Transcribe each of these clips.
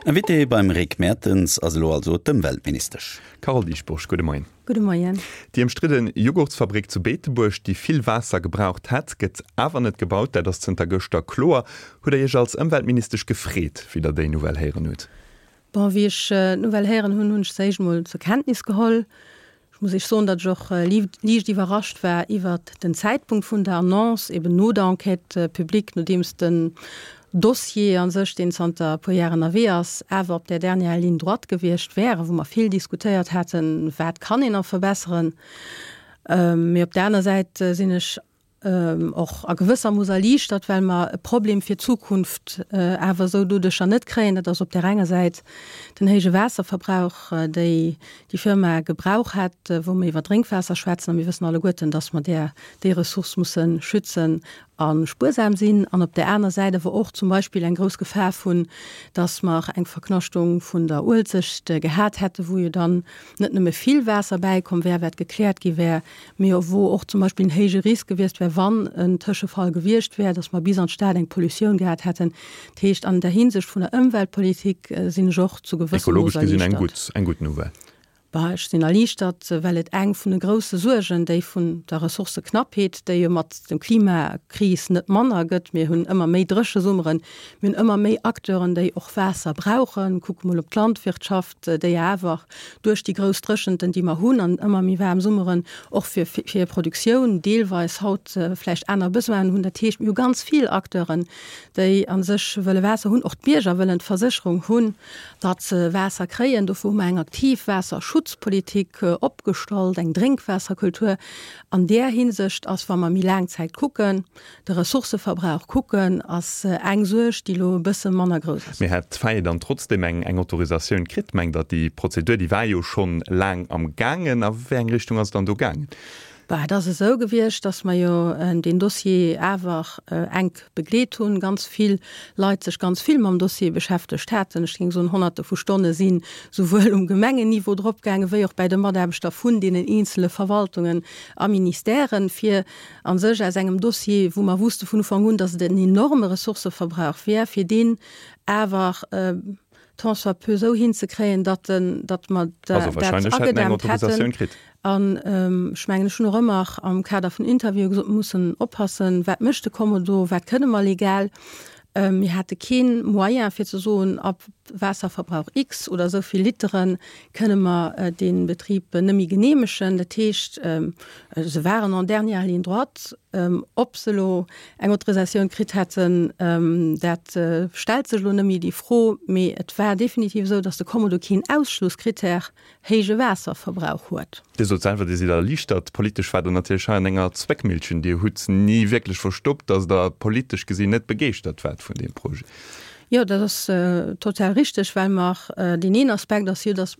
Invité beim Rick Mertens ass elo also d'Ëmweltministesch. Carole Dieschbourg, gudde Moien. Gudde Moien. Déi ëmstridde Jughurtsfabrik zu Beetebuerg, déi vill Waasser gebraucht hätt, gëtt awer net gebaut. Dat ass zënter gëschter kloer. Hutt Der Iech als Ëmweltministesch gefreet, wéi Der déi Nouvelle héieren hutt? Bon, wéi ech d'Nouvelle héieren hunn, hunn ech se éischt emol zur Kenntnis geholl. Ech muss Iech soen, datt ech och liicht iwwerrascht war iwwert den Zäitpunkt vun der Annonce, eben no der Enquête publique, nodeems den Dossier a sech, deen zanter e puer Jar ënnerwee ass, awer op der dernière ligne droite gewiescht wär, wou mer vill diskutéiert haten, wat kann een nach verbesseren. Mee op der aner Säit sinn ech och a gewësser Mooss erliichtert, well mer e Problem fir d'Zukunft awer esou doduercher net kréien. Dat ass op där enger Säit den héije Waasserverbrauch, déi déi Firma gebrauch hätt, wou mer iwwer Drénkwaasser schwätzen, a mir wëssen alleguerten, dass mer där déi Ressource musse schützen a spuersam sinn, an op där aner Säit awer och zum Beispill eng grouss Gefahr vun, dass mer eng Verknaschtung vun der Uelzecht gehat hätten, wou jo dann net nëmme vill Waasser bäikomm wär, wat gekläert gi wär, mee wou och zum Beispill en héije Risk gewiescht wär, wann en Tëschefall gewiescht wär, dass mer bis an d'Stad eng Pollutioun gehat hätten. Dat heescht, an der Hinsicht vun der Ëmweltpolitik sinn ech och zu gewëssem Mooss Ekologesch gesinn eng gutt, eng gutt Nouvelle. Bah, ech sinn erliichtert, well et eng vun de grousse Suergen, déi vun der Ressourcëknappheet, déi jo mat dem Klimakris net manner gëtt, mir hunn ëmmer méi dréche Summeren, mir hunn ëmmer méi Acteuren, déi och Waasser brauchen, kucke mol op d'Landwirtschaft, déi awer duerch déi grouss Dréchenten, déi mer hunn, an ëmmer méi waarm Summeren, och fir hir Produktioun deelweis haut vläicht aner Besoinen hunn. Dat heescht, mir hu ganz vill Acteuren, déi a sech wëlle Waasser hunn. Och d'Bierger wëllen d'Versécherung hunn, datt se Waasser kréien. Dofir hu mer eng aktiv Waasserschutzpolitik opgestallt, eng Drénkwaasserkultur. An där Hinsicht ass, wa mer méi laang Zäit kucken, de Ressourcëverbrauch kucken, ass eng Suerg, déi elo e bësse manner grouss ass. Mee hätt d'FAE dann trotzdem eng eng Autorisatioun kritt? Mengt Der, déi Prozedur, déi war jo schonn laang am gaangen. A wéi eng Richtung ass et dann do gaangen? Bah, et ass esou gewiescht, datt mer jo deen Dossier awer enk begleet hunn, ganz vill Leit sech ganz vill mam Dossier beschäftegt haten. Ech géing soen, Honnerte vu Stonne si souwuel um Gemengenniveau dropgaangen, wéi och bäi de Mataarbechter vun deenen eenzele Verwaltungen a Ministèren, fir a sech aus engem Dossier, wou mer wusste vun Ufank un, dass et en enorme Ressourcëverbrauch wär, fir deen awer tant soit peu esou hinzekréien, datt en, datt mer Also dat wahrscheinlech hätt en eng agedämmt hätten. Autorisatioun kritt. An ech mengen, ech hunn och ëmmer am Kader vun Interviewe gesot, mir mussen oppassen, wat mécht de Kommodo, wat kënne mer legal. Mir hate kee Moyen fir ze soen, ab Waasserverbrauch X oder esou vill Litere kënne mer dee Betrib nëmme geneemegen. Dat heescht, se waren en dernière ligne droite. Ob se elo eng Autorisatioun kritt hätten, dat stellt sech elo net méi déi Fro. Mee et war definitiv esou, datt de Kommodo keen Ausschlusskrittär héije Waasserverbrauch huet. Dir sot selwer, Dir sidd erliichtert. Politesch waart Der natierlech hei an enger Zwéckmillchen. Dir hutt ni wierklech verstoppt, datt Der politesch gesinn net begeeschtert waart vun deem Projet. Jo, dat ass total richteg, well mer, deen een Aspekt ass jo, datt,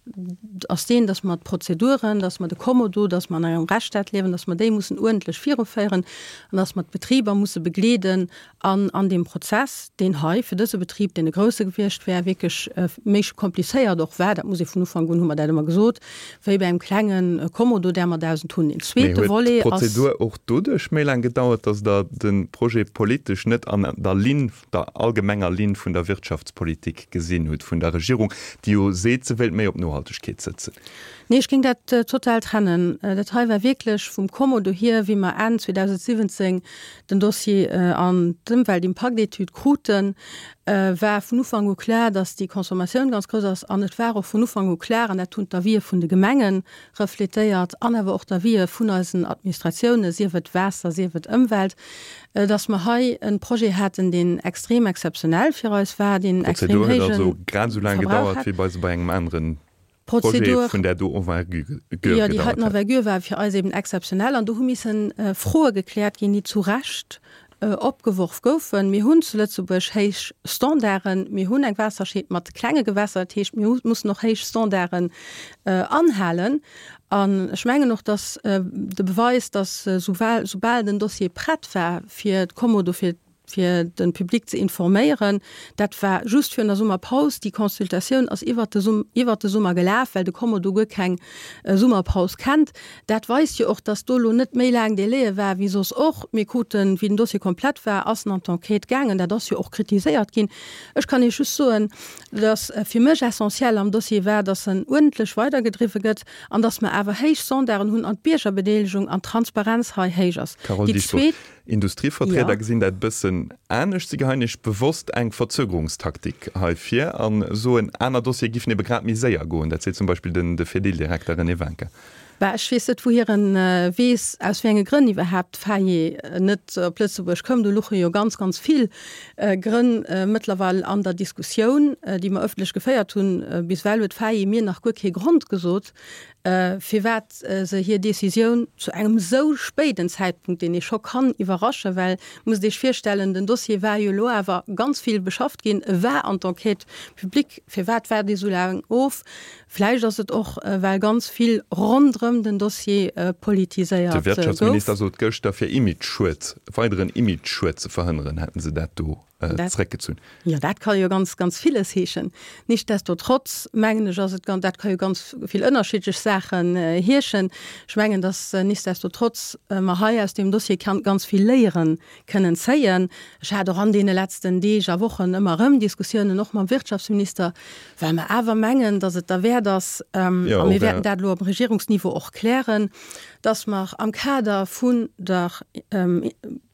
ass deen, datt mer d'Prozeduren, datt mer de Kommodo, datt mer an engem Rechtsstaat liewen, datt mer déi mussen uerdentlech viruféieren an datt mer d'Betriber musse begleeden An an deem Prozess, deen hei fir dëse Betrib, deen e grousse gewiescht wär, wierklech méi komplizéiert och war, dat muss ee vun Ufank un, hu mer dat ëmmer gesot, wéi bei engem klenge Kommodo, där mer 1.000 hunn. Deen Mee zweete huet Volet ass. d'Prozedur och doduerch méi laang gedauert, datt Der de Projet politesch net an der Linn, der allgemenger Linn vun der Wirtschaftspolitik gesinn hutt vun der Regierung, déi jo seet, se wéilt méi op Nohaltegkeet sëtzen? Nee, ech géing dat total trennen. Dat hei war wierklech vum Kommodo hier, wéi mer Enn 2017 den Dossier an d'Ëmweltimpaktetüd kruten, war vun Ufank u klar, dass déi Consommatioun ganz grouss ass. An et war och vun Ufank u klar, an dat hunn d'Avisë vun de Gemenge refletéiert an awer och d'Avisë vun eisen Administratiounen, sief et Waasser, sief et Ëmwelt, dass mer hei e Projet haten, deen extrem exzeptionell fir eis war, deen extrem D'Prozedur huet héije also grad esou laang Verbrauch gedauert hat. wéi bei se bei engem aneren Projet vun där do Envergure gedauert hätt. Jo, déi heiten Envergure war fir eis eben exzeptionell an do hu missen Froe gekläert ginn, déi zu Recht opgeworf goufen. Mir hunn zu Lëtzebuerg héich Standarden, mir hunn eng Waasserscheed mat klenge Gewässer, dat heescht, mir mussen och héich Standarden anhalen. An ech mengen och, dass de Beweis, dass soubal den Dossier prett war fir d'Kommodo, fir. fir de Public ze informéieren. Dat war just virun der Summerpaus. Déi Consultatioun ass iwwert de Sum, iwwert de Summer gelaf, well de Kommodo guer keng Summerpaus kennt. Dat weist jo och, dass do elo net méi laang Délaië war wéi soss och. Mir kruten, wéi den Dossier komplett war, ass en an d'Enquête gaangen. Dat ass jo och kritiséiert ginn. Ech kann Iech just soen, dass fir mech essentiell am Dossier war, dass en uerdentlech weidergedriwwe gëtt an dass mer awer héich Standarden hunn an d'Biergerbedeelegung an d'Transparenz hei héich ass. Carole Déi Dieschbourg, zweet. Industrievertrieder gesinn dat e bëssen anescht. Si geheien Iech bewosst eng Verzögerungstaktik hei vir a soen, aner Dossiere giffen ebe grad méi séier goen. Dat seet zum Beispill den de Fedil-Direkter René Wincker. Bah, ech weess net, wouhier en weess, aus wéi enge Grënn iwwerhaapt d'Faye net op Lëtzebuerg koum. Do luche jo ganz, ganz vill Grënn mëttlerweil an der Diskussioun, déi mer ëffentlech geféiert hunn. Bis ewell huet d'Faye mir nach guer kee Grond gesot, firwat se hir Décisioun zu engem esou spéiden Zäitpunkt, deen ee scho kann iwwerraschen, well, musst Iech virstellen, den Dossier war jo elo awer ganz vill beschafft ginn, e war an d'Enquête publique, firwat waart ee sou laang of? Vläicht ass et och, well ganz vill ronderëm den Dossier politiséiert De Wirtschaftsminister gouf. sot gëschter, fir Imageschued, weideren Imageschued ze verhënneren, hätten se dat do zeréckgezunn. Jo, dat ka jo ganz, ganz villes heeschen. Nichtsdestotrotz mengen ech, ass et ganz, dat ka jo ganz vill ënnerschiddlech Saachen heeschen. Ech mengen, datt nichtsdestotrotz mer hei aus deem Dossier ganz vill Léiere kënnen zéien. Ech hat och an deene letzten Deeg a Wochen ëmmer erëm Diskussiounen, och mam Wirtschaftsminister, well mer awer mengen, datt et derwäert ass, a mir wäerten dat elo am Regierungsniveau och klären, datt mer am Kader vun der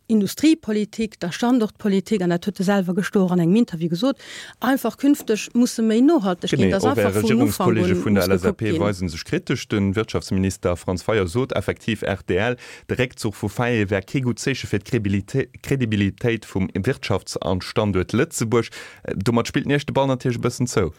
Industriepolitik, der Standortpolitik, an dat huet e selwer gëschter och an engem Interview gesot, einfach künfteg musse méi nohalteg ginn, Genee, dass och einfach Är vun Ufank Regierungskolleege un vun der muss gekuckt LSAP ginn. weise sech kritesch. De Wirtschaftsminister Franz Fayot sot effektiv rtl, de Réckzuch vu Faye wär kee gutt Zeeche fir d'Credibilitéit vum Wirtschafts a Standuert Lëtzebuerg. Domat spillt en Iech de Ball natierlech e bëssen zou.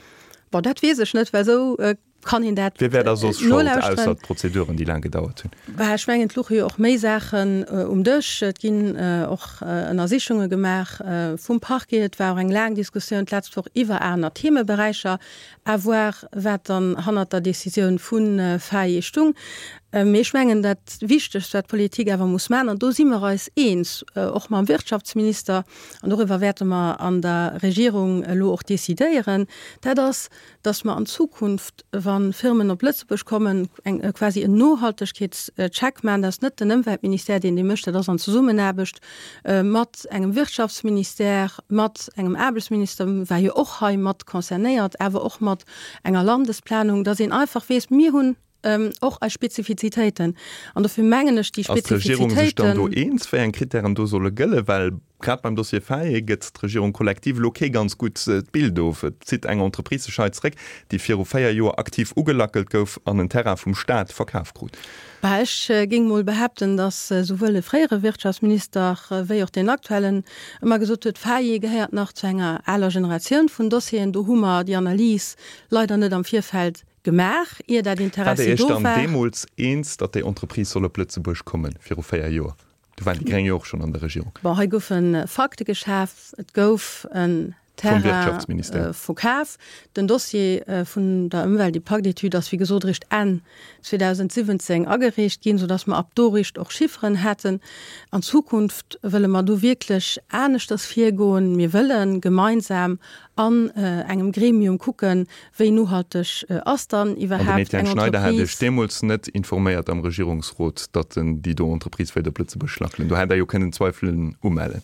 Bon, dat weess ech net, well esou kann een dat Wie wär da soss Schold, ausser d'Prozeduren, déi laang gedauert hunn? Bah, ech mengen, et louche jo och méi Saachen um Dësch. Et ginn och Ënnersichunge gemaach vum Parquet. Et war och eng laang Diskussioun d'lescht Woch iwwer aner Themeberäicher, à voir, wat dann hannert der Decisioun vu Faye stung. Mee ech mengen, dat Wichtegst, wat d'Politik awer muss maachen, an do si mer eis eens, och mam Wirtschaftsminister, an doriwwer wäerte mer an der Regierung elo och decidéieren, dat ass, dass mer an Zukunft, wa Firmen op Lëtzebuerg kommen, eng quasi en Nohaltegkeetscheck maachen. Dat ass net den Ëmweltministère, deen dee mécht, dat ass an Zesummenaarbecht mat engem Wirtschaftsministère, mat engem Aarbechtsminister, war jo och hei mat concernéiert, awer och mat enger Landesplanung, dass een einfach weess, mir hunn och eis Spezifizitéiten. An dofir mengen ech, déi Ass d'Regierung sech dann do Spezifizitéiten. eens, wéi eng Krittären do solle gëllen? Well grad beim Dossier Faye gëtt d'Regierung kollektiv elo kee ganz gutt Bild of. Et zitt eng Entreprise sech hei zeréck, déi viru 4 Joer aktiv ugelackelt gouf an en Terrain vum Staat verkaf krut. Bah, ech géing mol behaapten, datt souwuel de fréiere Wirtschaftsminister wéi och deen aktuellen ëmmer gesot huet, Faye gehéiert nach zu enger aler Generatioun vun Dossieren. Do hu mer déi Analys leider net am Virfeld gemaach, ier dat Waart Der Interessi Iech do dann war. deemools eens, datt déi Entreprise soll op Lëtzebuerg kommen, viru 4 Joer? Do waren déi Gréng jo och schonn an der Regierung. Bon, hei goufe Fakte geschaf, et gouf en Vum Terrain Wirtschaftsministère. verkaf. Den Dossier vun der Ëmweltimpaktetüd ass wéi gesot eréischt Enn 2017 agereecht ginn, soudatt mer ab do eréischt och Chifferen haten. An Zukunft wëlle mer do wierklech aneschters virgoen. Mir wëlle gemeinsam an engem Gremium kucken, wéi nohalteg ass dann An den iwwerhaapt Etienne eng Schneider hat Iech Entreprise. deemools net informéiert am Regierungsrot, datt en déi do Entreprise wéilt op Lëtzebuerg lackelen. Do hätt Der jo kënnen Zweifelen umellen.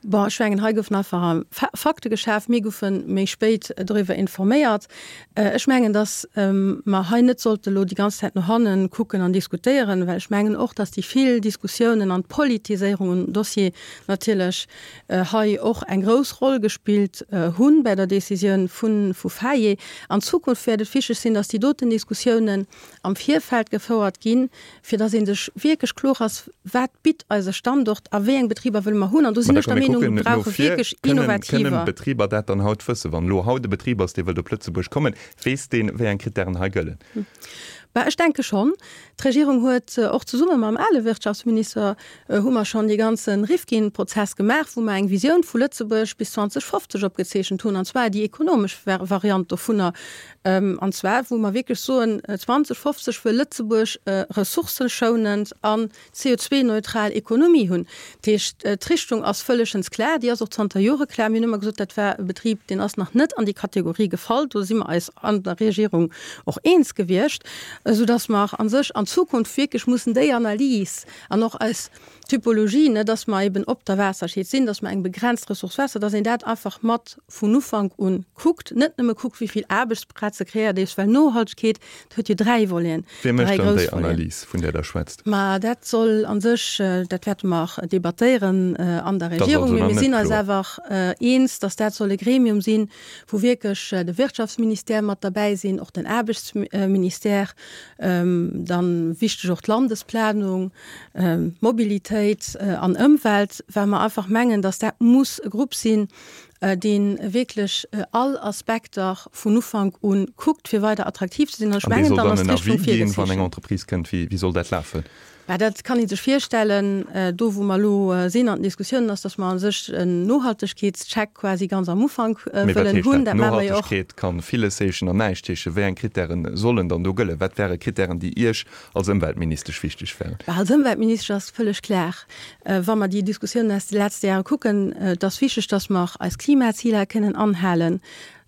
Bon, ech mengen, hei goufen einfach Fakte geschaf. Mir goufe méi spéit doriwwer informéiert. Ech mengen, datt mer hei net sollte elo déi ganz Zäit no hanne kucken an diskutéieren, well ech mengen och, datt déi vill Diskussiounen an d'Politiséierung um Dossier natierlech hei och eng grouss Roll gespillt hu bäi der Décisioun vu Faye. An Zukunft wäert et wichteg sinn, dass déi doten Diskussiounen am Virfeld gefouert ginn, fir dass ee sech wierklech kloer ass, Wat bitt eise Standort a wéi eng Betriber wëlle mer hunn? An do Mä sinn da ech der komm, mir Meenung, kucken mir no brauche vir. wierklech Kënnen, kënnen innovativer. d'Betriber dat dann haut wëssen? Wann elo haut e Betrib ass, dee wëllt op Lëtzebuerg kommen, weess deen, wéi eng Krittären hei gëllen? Bah, ech denke schonn. D'Regierung huet och zesumme mam ale Wirtschaftsminister hu mer schonn dee ganze Rifkin-Prozess gemaach, wou mer eng Visioun vu Lëtzebuerg bis 2050 opgezeechent hunn, an zwar déi ekonomesch Variant dovunner, an zwar wou mer wierklech soen, 2050 wëll Lëtzebuerg ressourcëschounend an CO2-neutral Ekonomie hunn. Dat heescht, d'Richtung ass vëllegens klar, déi ass och zanter Jore klar. Mir hunn ëmmer gesot, dat war e Betrib, deen ass nach net an déi Kategorie gefall. Do si mer eis an der Regierung och eens gewiescht, esoudass mer a sech an Zukunft wierklech mussen déi Analys an och eis Typologie, ne, dass mer eben op der Waasserscheed sinn, dass mer eng begrenzt Ressource Waasser, dass een dat einfach mat vun Ufank un kuckt, net nëmme kuckt, wéi vill Aarbechtsplaze kreéiert ee, well Nohaltegkeet, dat huet jo dräi Voleten, Wie mécht dräi dann grouss déi Voleten. Analys, vun där Der schwätzt? Ma dat soll a sech, dat wäerte mer debattéieren an der Dat ass Regierung, also mee nach mir net sinn eis kloer. awer eens, dass dat soll e Gremium sinn, wou wierklech de Wirtschaftsministère mat derbäi sinn, och den Aarbechtsministère, dann wichteg och d'Landesplanung, Mobilitéit an Ëmwelt, well mer einfach mengen, dass dat muss e Grupp sinn, dee wierklech all Aspekter vun Ufank u kuckt, fir weider attraktiv ze sinn. An ech mengen, dann ass d'Richtung virgezeechent. Wann eng Entreprise kënnt, wéi soll dat lafen? Mä dat kann ee sech virstellen. Do, wou mer elo sinn an den Diskussiounen, ass, dass mer a sech en Nohaltegkeetscheck quasi ganz am Ufank wëllen hunn. Dat maache mer jo och. Nohaltegkeet ka villes heeschen an näischt heeschen. Wéi eng Krittäre sollen dann do gëllen? Wat wäre Krittären, déi Iech als Ëmweltministesch wichteg wären? Als Ëmweltministesch ass vëlleg klar, wa mer déi Diskussiounen aus de letzte Jahre kucken, et ass wichteg, dass mer eis Klimaziler kënnen anhalen.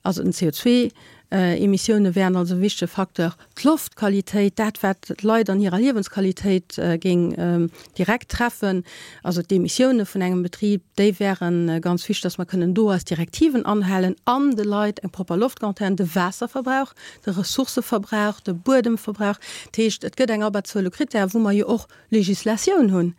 Also den CO2-Emissioune wären also e wichtege Facteur. D'Loftqualitéit, dat wat d'Leit an hirer Liewensqualitéit géing direkt treffen, also d'Emissioune vun engem Betrib, déi wäre ganz wichteg, dass mer kënnen do eis Direktiven anhalen an de Leit eng propper Loft garantéieren. De Waasserverbrauch, de Ressourcëverbrauch, de Buedemverbrauch. Dat heescht, et gëtt eng Abberzuel u Krittären, wou mer jo och Législatioun hunn.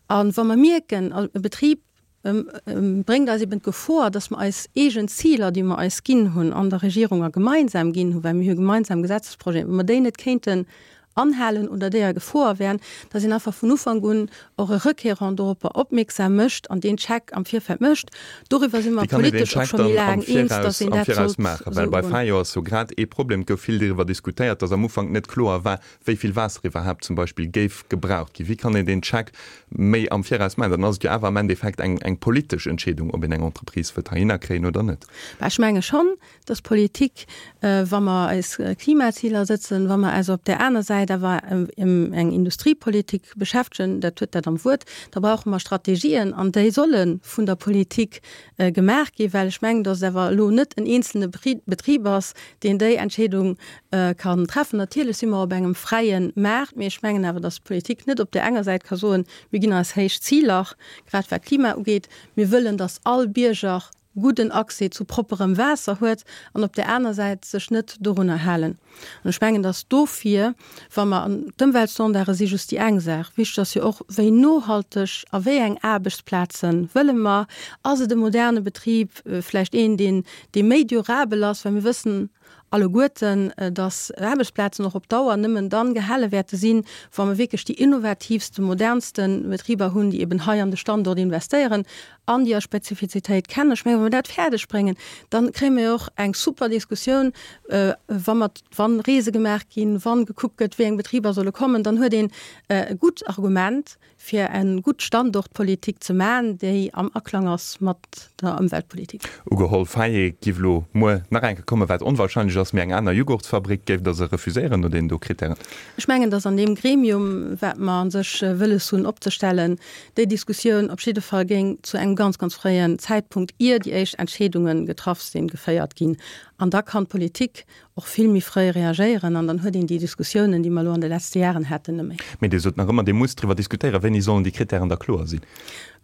A wa mer mierken, e Betrib bréngt eis eben d'Gefor, dass mer eis eegen Ziler, déi mer eis ginn hunn an der Regierung a gemeinsam ginn hunn, well mir hu gemeinsam Gesetzesprojeten, wa mer déi net kéinten anhalen oder déi a Gefor wären, dass een einfach vun Ufank un och e Requérant doropper opmierksam mécht an deen Check am Virfeld mécht. Doriwwer si mer Wéi kann een deen politesch och Check scho méi dann am laang eens, dass Viraus, een am dat Viraus sollt maachen? Well esou bei ugoen. Fayot ass jo grad ee Problem, et gouf vill doriwwer diskutéiert, dass am Ufank net kloer war, wéi vill Waasser iwwerhaapt zum Beispill géif gebraucht ginn. Wéi kann een deen Check méi am Viraus maachen? Dann ass et jo awer am Endeffekt eng, eng politesch Entscheedung, ob een eng Entreprise wëllt heihinner kréien oder net. Bah, ech menge schonn, dass d'Politik, wa mer eis Klimaziler sëtzen, wa mer eis op där aner Säit awer ëm eng Industriepolitik beschäftegen, dat huet dat am Wuert, da brauche mer Strategien an déi solle vun der Politik gemaach ginn, well ech mengen, dass et awer elo net en eenzelne Betrib ass, deen déi Entscheedung kann treffen. Natierlech si mer op engem fräie Maart, mee ech mengen awer, dass d'Politik net op där enger Säit ka soen, mir ginn eis héich Ziler, grad wat Klima ugeet, mir wëllen, dass all Bierger gudden Accès zu propperem Waasser huet an op där aner Säit sech net dorunner halen. An ech mengen, dass dofir, wa mer, an d'Ëmweltstandarde si just déi eng Saach, wichteg ass jo och, wéi nohalteg a wéi eng Aarbechtsplaze wëlle mer, ass et e moderne Betrib, vläicht een, deen, dee méi durabel ass, well mir wëssen alleguerten, dass Aarbechtsplazen och op Dauer nëmmen dann gehale wäerte sinn, wa mer wierklech déi innovatiivste, modernste Betriber hunn, déi eben hei an de Standort investéieren an déi eis Spezifizitéit kennen. Ech mengen, wa mer dat fäerdeg bréngen, dann kréie mer jo och eng super Diskussioun, wa mer, wa Reese gemaach ginn, wa gekuckt gëtt, wéi eng Betriber solle kommen, dann huet een e gutt Argument, fir eng gutt Standortpolitik ze maachen, déi am Aklang ass mat der Ëmweltpolitik. Ugeholl, Faye giff elo muer nach eng Kéier kommen, wat onwahrscheinlech ass, mee eng aner Jughurtsfabrik, géift Der se refuséieren no deenen do Kritären? Ech mengen, datt an deem Gremium, wat mer a sech wëlles hunn opzestellen, déi Diskussioun op jidde Fall géing zu engem ganz, ganz fréien Zäitpunkt, ier déi éischt Entscheedunge getraff sinn, geféiert ginn. An da kann d'Politik och vill méi fréi reagéieren an dann huet een déi Diskussiounen, déi mer elo an de letzte Jaren haten, net méi. Mee Dir sot nach ëmmer, Dir musst driwwer diskutéieren. Wéini sollen déi Kritären da kloer sinn?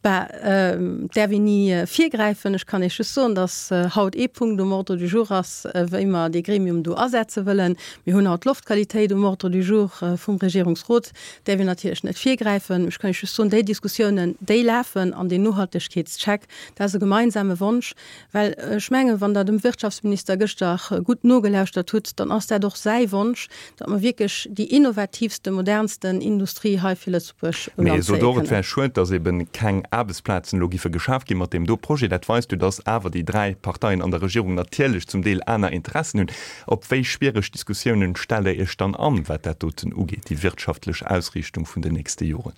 Bah, et däerf een ni virgräifen. Ech kann Iech just soen, datt haut ee Punkt um Ordre du jour ass, wéi mer dee Gremium do asetze wëllen. Mir hunn haut d'Loftqualitéit um Ordre du jour vum Regierungsrot. Däerf een natierlech net virgräifen. Ech kann Iech just soen, déi Diskussiounen, déi lafen an deen Nohaltegkeetscheck, dat ass e gemeinsame Wonsch. Well ech mengen, wann Der dem Wirtschaftsminister gëschter gutt nogelauschtert. gehéiert hutt, dann ass dat och säi Wonsch, datt mer wierklech déi innovatiivste, modernsten Industrie hei fir Lëtzebuerg un Land zéie kënnen. Mee sot och, et wär schued, datt ebe keng Aarbechtsplazen elo giffe geschaf gi mat deem do Projet. Dat weist jo, datt awer déi 3 Parteien an der Regierung natierlech zum Deel aner Interessen hunn. Op wéi schwiereg Diskussiounen stellt Der Iech dann an, wat dat doten ugeet, déi wirtschaftlech Ausriichtung vun den nächste Joren?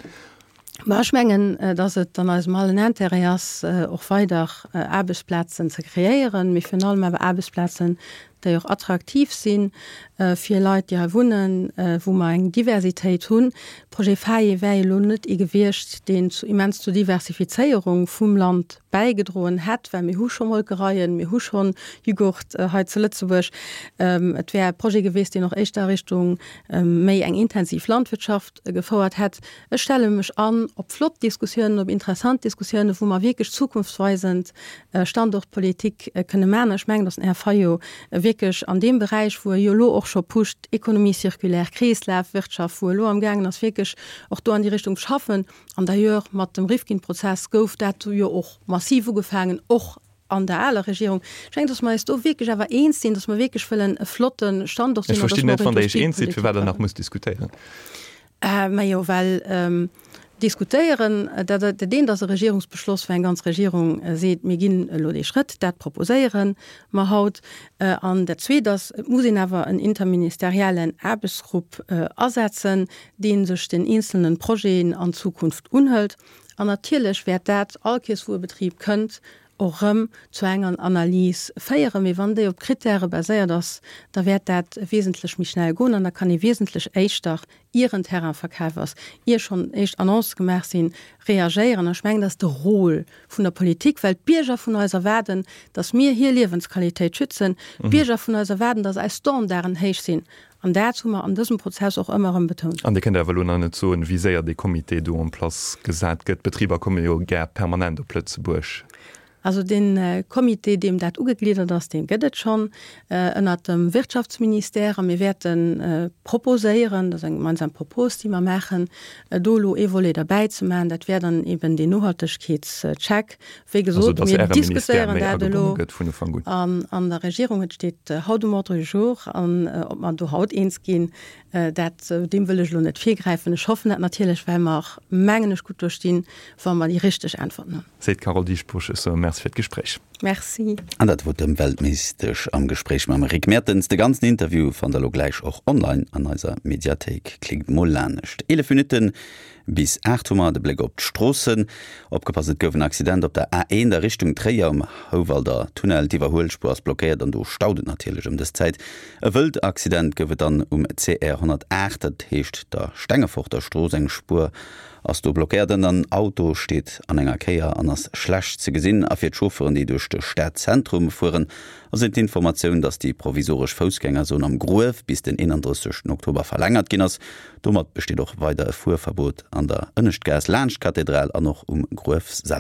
Ma ech mengen, datt et an eisem allen Intérêt ass, och weider Aarbechtsplazen ze kreéieren, mee virun allem awer Aarbechtsplazen, déi och attraktiv si fir Leit, déi hei wunnen, wou mer eng Diversitéit hunn. Projet FAIE wär jo elo net ee gewiescht, deen zu immens zur Diversifizéierung vum Land bäigedroen hätt, well mir hu scho Molkereien, mir hu scho Jughurt hei zu Lëtzebuerg. Et wär e Projet gewiescht, deen och éischter a Richtung méi eng intensiv Landwirtschaft gefouert hätt. Ech stelle mech an op flott Diskussiounen, op interessant Diskussiounen, wou mer wierklech zukunftsweisend Standortpolitik kënne maachen. Ech mengen, dass den Här Fayot wierklech an deem Beräich, wou e jo elo och scho pusht, Économie circulaire, Kreeslafwirtschaft, wou e elo amgaangen ass wierklech och do an déi Richtung ze schaffen, an d'ailleurs mat dem Rifkin-Prozess gouf dat jo och massiv ugefaangen, och an der aler Regierung. Ech mengen, dass mer eis do wierklech awer eens sinn, dass mer wierklech wëllen e flotte Standort sinn. Ech verstinn net, wann Der Iech eens sidd, firwat Der nach musst diskutéieren. Majo, well diskutéieren, dat dat eent ass e Regierungsbeschloss, wou eng ganz Regierung seet, mir ginn elo dee Schrëtt, dat proposéiere mer haut. An dat Zweet ass, et muss een awer en interministeriellen Aarbechtsgrupp asetzen, dee sech den eenzelne Projeten an Zukunft unhëlt. An natierlech wäert dat, all Kees wou e Betrib kënnt, och erëm zu enger Analys féieren. Mee wann déi op Krittäre baséiert ass, da wäert dat wesentlech méi schnell goen an da kann ee wesentlech éischter, ier en Terrain verkaf ass, ier schonn éischt Annoncë gemaach sinn, reagéieren. An ech mengen, dat ass de Rôle vun der Politik, well d'Bierger vun eis erwaarden, datt mir hir Liewensqualitéit schützen. D'Bierger vun eis erwaarden, datt eis Standarden héich sinn. An dat hu mer an dësem Prozess och ëmmer erëm betount. An Dir kënnt awer elo nach net soen, wéi séier dee Comité do en place gesat gëtt. D'Betriber komme jo gär permanent op Lëtzebuerg. Also dee Comité, deem dat ugegliddert ass, dee gëtt et schonn ënnert dem Wirtschaftsministère. A mir wäerte proposéieren, dat ass eng gemeinsam Propos, déi mer maachen, do elo ee Volet derbäi ze maachen. Dat wär dann eben deen Nohaltegkeetscheck, Wéi gesot, mir diskutéieren dat elo an der Regierung. Et steet haut um Ordre du jour. An ob mer do haut eens ginn, dat, deem wëll ech elo net virgräifen. Ech hoffen dat natierlech, well mer, mengen ech, gutt do stinn, wa mer déi richteg Äntwerten hunn. Seet d'Carole Dieschbourg. Ech soe Merci fir d'Gespréich. Merci. An dat wor d'Ëmweltministesch am Gespréich mam Rick Mertens. De ganzen Interview fannt der elo gläich och online an eiser Mediathéik. Klickt mol lanescht. 11 Minutten Bis 8 hu mer de Bléck op d'Stroossen. Opgepasst, et gouf en Accident op der A1 a Richtung Tréier um Houwalder Tunnel. D'Iwwerhuelspuer ass blockéiert an do staut et natierlech ëm dës Zäit. E wëllt Accident gouf et dann um CR 108, dat heescht der Stengeforter Strooss. Eng Spuer ass do blockéiert an en Auto steet an enger Kéier an ass schlecht ze gesinn. A fir d'Chauffeuren, déi duerch de Stadzentrum fueren, ass et d'Informatioun, dass déi provisoresch Foussgängerzon am Gruef bis den 31 Oktober verlängert ginn ass. Domat besteet och weider e Fuerverbot an der Ënneschtgaass laanscht d'Kathedral an och um Gruef selwer.